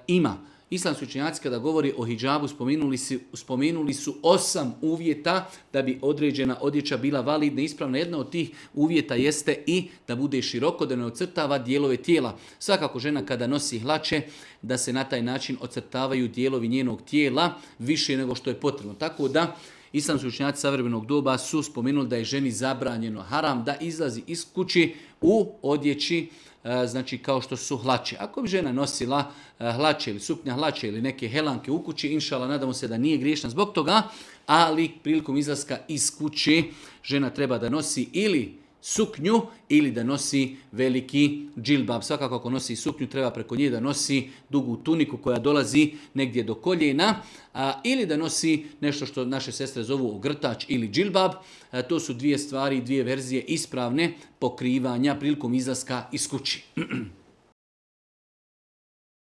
ima. Islamski učenjaci kada govori o hidžabu spomenuli su 8 uvjeta da bi određena odjeća bila validna i ispravna. Jedna od tih uvjeta jeste i da bude široko, da ne ocrtava dijelove tijela. Svakako žena kada nosi hlače, da se na taj način ocrtavaju dijelovi njenog tijela više nego što je potrebno. Tako da islamski učenjaci savremenog doba su spomenuli da je ženi zabranjeno haram da izlazi iz kući u odjeći, znači kao što su hlače. Ako bi žena nosila hlače ili suknja hlače ili neke helanke u kući, inšala, nadamo se da nije griješna zbog toga, ali prilikom izlaska iz kuće žena treba da nosi ili suknju ili da nosi veliki džilbab. Svakako ako nosi suknju treba preko nje da nosi dugu tuniku koja dolazi negdje do koljena, ili da nosi nešto što naše sestre zovu ogrtač ili džilbab. To su dvije stvari, dvije verzije ispravne pokrivanja prilikom izlaska iz kući.